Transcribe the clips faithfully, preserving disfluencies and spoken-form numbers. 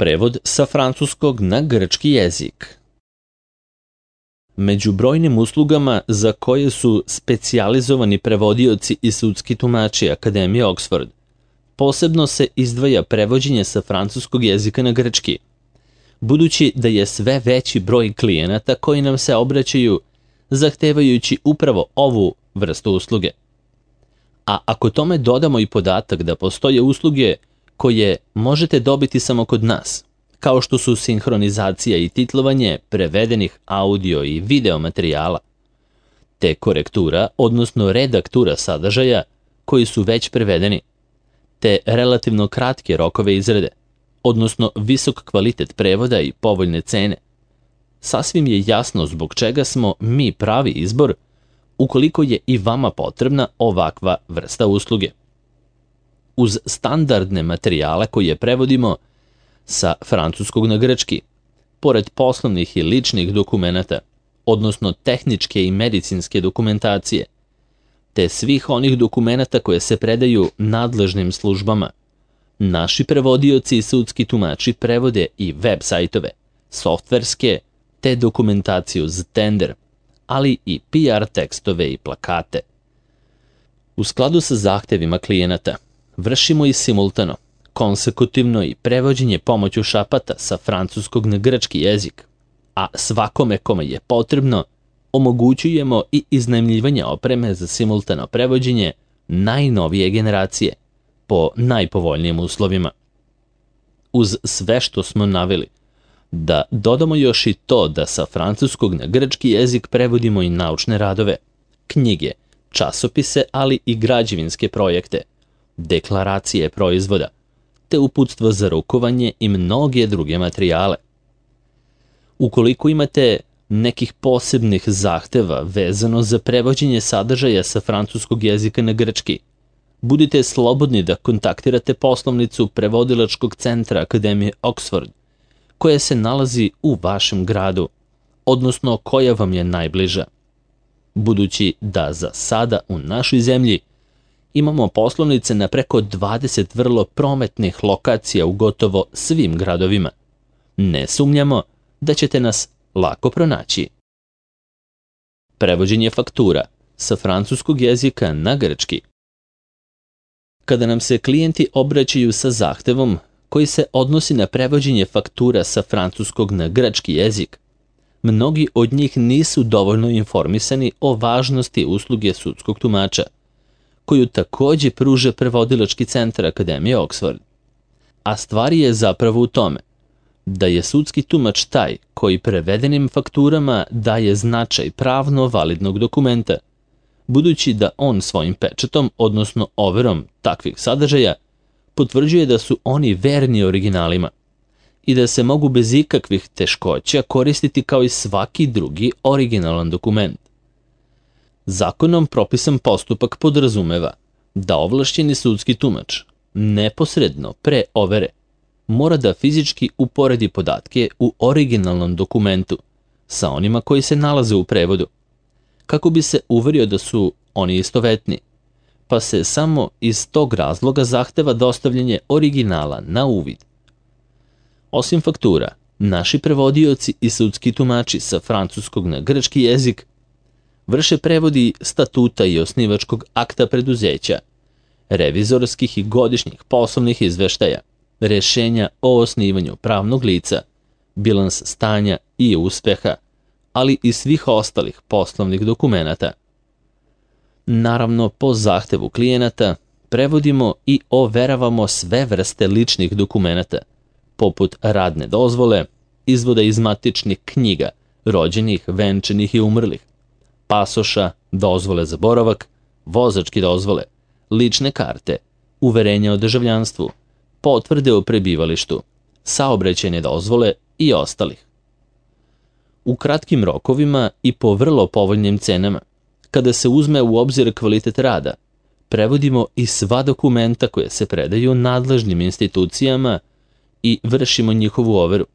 Prevod sa francuskog na grčki jezik. Među brojnim uslugama za koje su specijalizovani prevodioci i sudski tumači Akademije Oxford, posebno se izdvaja prevođenje sa francuskog jezika na grčki, budući da je sve veći broj klijenata koji nam se obraćaju zahtevajući upravo ovu vrstu usluge. A ako tome dodamo i podatak da postoje usluge koje možete dobiti samo kod nas, kao što su sinhronizacija i titlovanje prevedenih audio i video materijala, te korektura, odnosno redaktura sadržaja koji su već prevedeni, te relativno kratke rokove izrade, odnosno visok kvalitet prevoda i povoljne cene, sasvim je jasno zbog čega smo mi pravi izbor ukoliko je i vama potrebna ovakva vrsta usluge. Uz standardne materijale koje prevodimo sa francuskog na grčki, pored poslovnih i ličnih dokumenata, odnosno tehničke i medicinske dokumentacije, te svih onih dokumenata koje se predaju nadležnim službama, naši prevodioci i sudski tumači prevode i web sajtove, softverske, te dokumentaciju za tender, ali i P R tekstove i plakate. U skladu sa zahtevima klijenata, vršimo i simultano, konsekutivno i prevođenje pomoću šapata sa francuskog na grčki jezik, a svakome kome je potrebno, omogućujemo i iznajmljivanje opreme za simultano prevođenje najnovije generacije, po najpovoljnijim uslovima. Uz sve što smo naveli, da dodamo još i to da sa francuskog na grčki jezik prevodimo i naučne radove, knjige, časopise, ali i građevinske projekte, deklaracije proizvoda, te uputstvo za rukovanje i mnoge druge materijale. Ukoliko imate nekih posebnih zahteva vezano za prevođenje sadržaja sa francuskog jezika na grčki, budite slobodni da kontaktirate poslovnicu prevodilačkog centra Akademije Oxford, koja se nalazi u vašem gradu, odnosno koja vam je najbliža. Budući da za sada u našoj zemlji imamo poslovnice na preko dvadeset vrlo prometnih lokacija u gotovo svim gradovima, ne sumnjamo da ćete nas lako pronaći. Prevođenje faktura sa francuskog jezika na grčki. Kada nam se klijenti obraćaju sa zahtevom koji se odnosi na prevođenje faktura sa francuskog na grčki jezik, mnogi od njih nisu dovoljno informisani o važnosti usluge sudskog tumača, koju takođe pruža prevodilački centar Akademije Oxford. A stvar je zapravo u tome da je sudski tumač taj koji prevedenim fakturama daje značaj pravno validnog dokumenta, budući da on svojim pečatom, odnosno overom takvih sadržaja, potvrđuje da su oni verni originalima i da se mogu bez ikakvih teškoća koristiti kao i svaki drugi originalan dokument. Zakonom propisan postupak podrazumeva da ovlašćeni sudski tumač neposredno pre overe mora da fizički uporedi podatke u originalnom dokumentu sa onima koji se nalaze u prevodu, kako bi se uverio da su oni istovetni, pa se samo iz tog razloga zahteva dostavljanje originala na uvid. Osim faktura, naši prevodioci i sudski tumači sa francuskog na grčki jezik vrše prevodi statuta i osnivačkog akta preduzeća, revizorskih i godišnjih poslovnih izveštaja, rešenja o osnivanju pravnog lica, bilans stanja i uspeha, ali i svih ostalih poslovnih dokumenata. Naravno, po zahtevu klijenata prevodimo i overavamo sve vrste ličnih dokumenata, poput radne dozvole, izvoda iz matičnih knjiga, rođenih, venčanih i umrlih, pasoša, dozvole za boravak, vozačke dozvole, lične karte, uverenja o državljanstvu, potvrde o prebivalištu, saobraćajne dozvole i ostalih. U kratkim rokovima i po vrlo povoljnim cenama, kada se uzme u obzir kvalitet rada, prevodimo i sva dokumenta koje se predaju nadležnim institucijama i vršimo njihovu overu.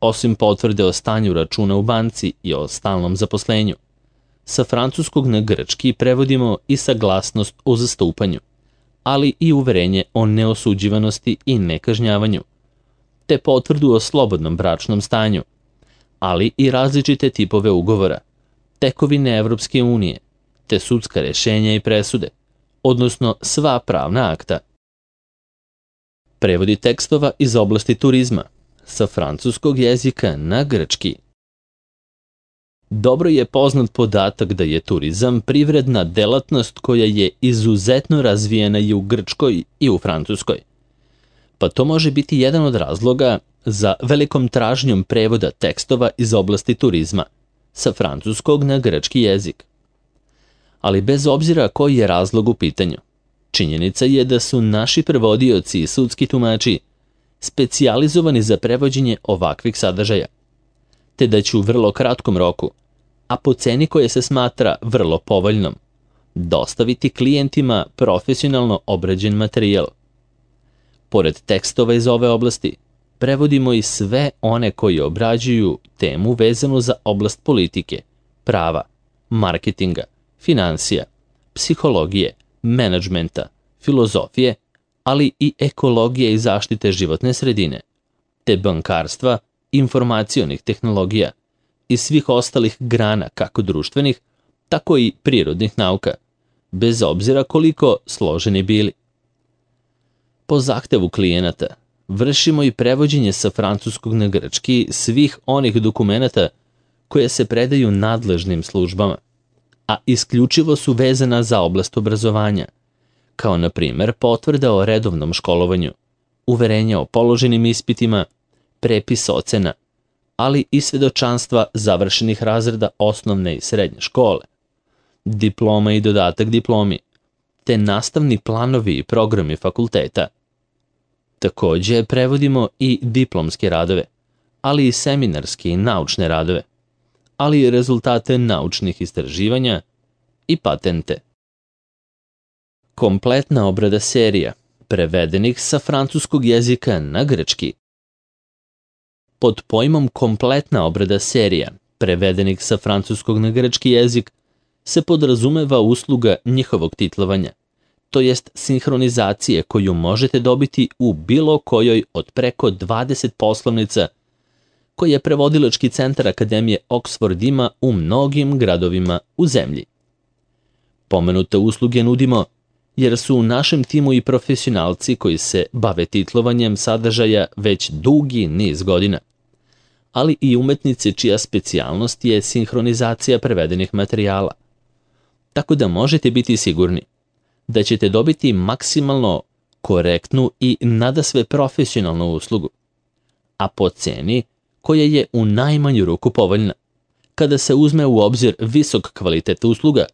Osim potvrde o stanju računa u banci i o stalnom zaposlenju, sa francuskog na grčki prevodimo i saglasnost o zastupanju, ali i uverenje o neosuđivanosti i nekažnjavanju, te potvrdu o slobodnom bračnom stanju, ali i različite tipove ugovora, tekovine Evropske unije, te sudska rešenja i presude, odnosno sva pravna akta. Prevodi tekstova iz oblasti turizma sa francuskog jezika na grčki. Dobro je poznat podatak da je turizam privredna delatnost koja je izuzetno razvijena i u Grčkoj i u Francuskoj. Pa to može biti jedan od razloga za velikom tražnjom prevoda tekstova iz oblasti turizma sa francuskog na grčki jezik. Ali bez obzira koji je razlog u pitanju, činjenica je da su naši prevodioci i sudski tumači specijalizovani za prevođenje ovakvih sadržaja, te da će u vrlo kratkom roku, a po ceni koja se smatra vrlo povoljnom, dostaviti klijentima profesionalno obrađen materijal. Pored tekstova iz ove oblasti, prevodimo i sve one koji obrađuju temu vezanu za oblast politike, prava, marketinga, finansija, psihologije, menadžmenta, filozofije, ali i ekologije i zaštite životne sredine, te bankarstva, informacionih tehnologija i svih ostalih grana kako društvenih, tako i prirodnih nauka, bez obzira koliko složeni bili. Po zahtevu klijenata vršimo i prevođenje sa francuskog na grčki svih onih dokumenata koje se predaju nadležnim službama, a isključivo su vezana za oblast obrazovanja, kao na primer potvrda o redovnom školovanju, uverenja o položenim ispitima, prepis ocena, ali i svedočanstva završenih razreda osnovne i srednje škole, diploma i dodatak diplomi, te nastavni planovi i programi fakulteta. Takođe prevodimo i diplomske radove, ali i seminarske i naučne radove, ali i rezultate naučnih istraživanja i patente. Kompletna obrada serija, prevedenih sa francuskog jezika na grčki. Pod pojmom kompletna obrada serija, prevedenih sa francuskog na grčki jezik, se podrazumeva usluga njihovog titlovanja, to jest sinhronizacije koju možete dobiti u bilo kojoj od preko dvadeset poslovnica koje prevodilački centar Akademije Oxford ima u mnogim gradovima u zemlji. Pomenute usluge nudimo jer su u našem timu i profesionalci koji se bave titlovanjem sadržaja već dugi niz godina, ali i umetnici čija specijalnost je sinhronizacija prevedenih materijala. Tako da možete biti sigurni da ćete dobiti maksimalno korektnu i nadasve profesionalnu uslugu, a po ceni koja je u najmanju ruku povoljna, kada se uzme u obzir visok kvalitet usluga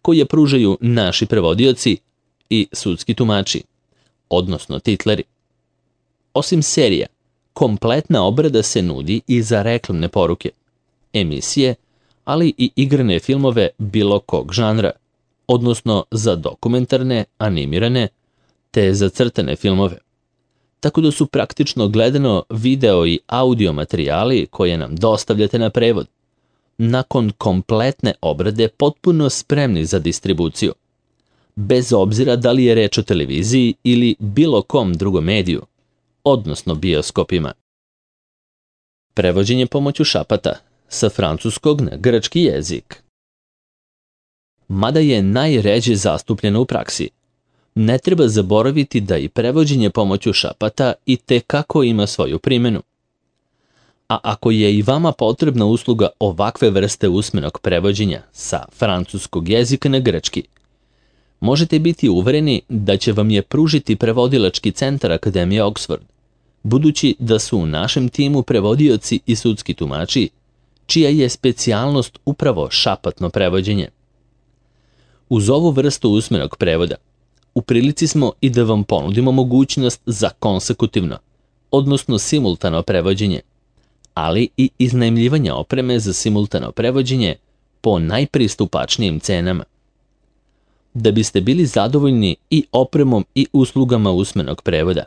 koje pružaju naši prevodioci i sudski tumači, odnosno titleri. Osim serija, kompletna obrada se nudi i za reklamne poruke, emisije, ali i igrane filmove bilo kog žanra, odnosno za dokumentarne, animirane, te za crtane filmove. Tako da su praktično gledano video i audio materijali koje nam dostavljate na prevod, nakon kompletne obrade potpuno spremni za distribuciju, bez obzira da li je reč o televiziji ili bilo kom drugom mediju, odnosno bioskopima. Prevođenje pomoću šapata sa francuskog na grčki jezik. Mada je najređe zastupljeno u praksi, ne treba zaboraviti da i prevođenje pomoću šapata i tekako ima svoju primjenu. A ako je i vama potrebna usluga ovakve vrste usmenog prevođenja sa francuskog jezika na grčki, možete biti uvereni da će vam je pružiti prevodilački centar Akademije Oxford, budući da su u našem timu prevodioci i sudski tumači, čija je specijalnost upravo šapatno prevođenje. Uz ovu vrstu usmenog prevoda, u prilici smo i da vam ponudimo mogućnost za konsekutivno, odnosno simultano prevođenje, ali i iznajmljivanje opreme za simultano prevođenje po najpristupačnijim cenama. Da biste bili zadovoljni i opremom i uslugama usmenog prevoda,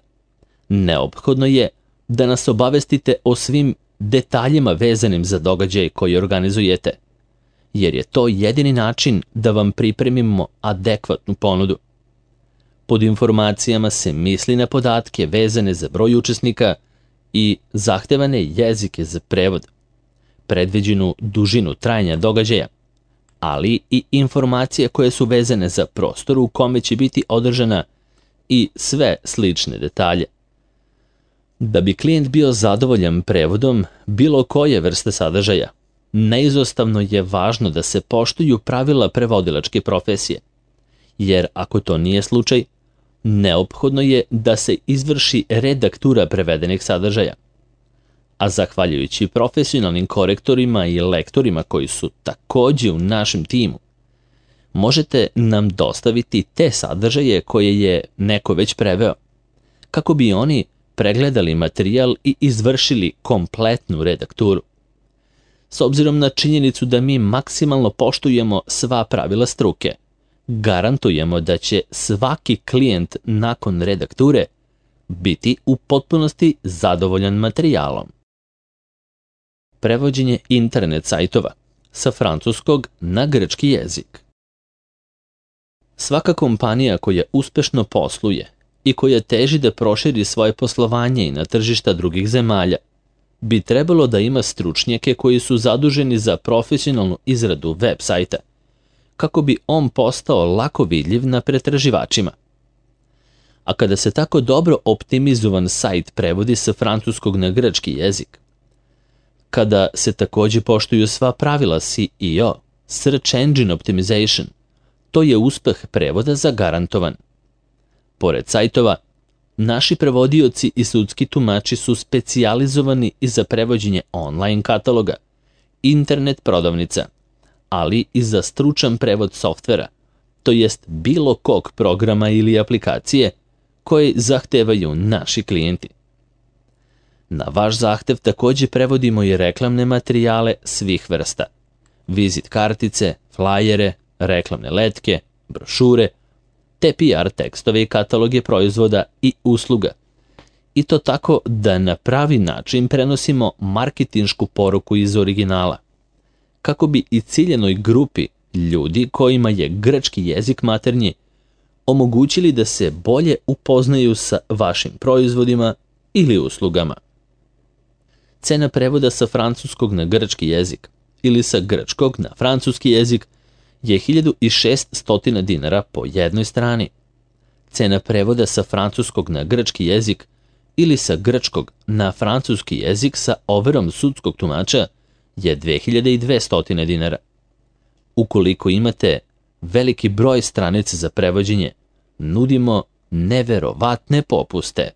neophodno je da nas obavestite o svim detaljima vezanim za događaj koji organizujete, jer je to jedini način da vam pripremimo adekvatnu ponudu. Pod informacijama se misli na podatke vezane za broj učesnika i zahtevane jezike za prevod, predviđenu dužinu trajanja događaja, ali i informacije koje su vezane za prostor u kome će biti održana i sve slične detalje. Da bi klijent bio zadovoljan prevodom bilo koje vrste sadržaja, neizostavno je važno da se poštuju pravila prevodilačke profesije, jer ako to nije slučaj, neophodno je da se izvrši redaktura prevedenih sadržaja. A zahvaljujući profesionalnim korektorima i lektorima koji su takođe u našem timu, možete nam dostaviti te sadržaje koje je neko već preveo, kako bi oni pregledali materijal i izvršili kompletnu redakturu. S obzirom na činjenicu da mi maksimalno poštujemo sva pravila struke, garantujemo da će svaki klijent nakon redakture biti u potpunosti zadovoljan materijalom. Prevođenje internet sajtova sa francuskog na grčki jezik. Svaka kompanija koja uspešno posluje i koja teži da proširi svoje poslovanje i na tržišta drugih zemalja, bi trebalo da ima stručnjake koji su zaduženi za profesionalnu izradu web sajta, kako bi on postao lako vidljiv na pretraživačima. A kada se tako dobro optimizovan sajt prevodi sa francuskog na grčki jezik, kada se takođe poštuju sva pravila S E O, Search Engine Optimization, to je uspeh prevoda zagarantovan. Pored sajtova, naši prevodioci i sudski tumači su specijalizovani i za prevođenje online kataloga, internet prodavnica, ali i za stručan prevod softvera, to jest bilo kog programa ili aplikacije koje zahtevaju naši klijenti. Na vaš zahtev takođe prevodimo i reklamne materijale svih vrsta, vizit kartice, flajere, reklamne letke, brošure, te P R tekstove i kataloge proizvoda i usluga. I to tako da na pravi način prenosimo marketinšku poruku iz originala, kako bi i ciljenoj grupi ljudi kojima je grčki jezik maternji omogućili da se bolje upoznaju sa vašim proizvodima ili uslugama. Cena prevoda sa francuskog na grčki jezik ili sa grčkog na francuski jezik je hiljadu šessto dinara po jednoj strani. Cena prevoda sa francuskog na grčki jezik ili sa grčkog na francuski jezik sa overom sudskog tumača je dve hiljade dvesta dinara. Ukoliko imate veliki broj stranica za prevođenje, nudimo neverovatne popuste.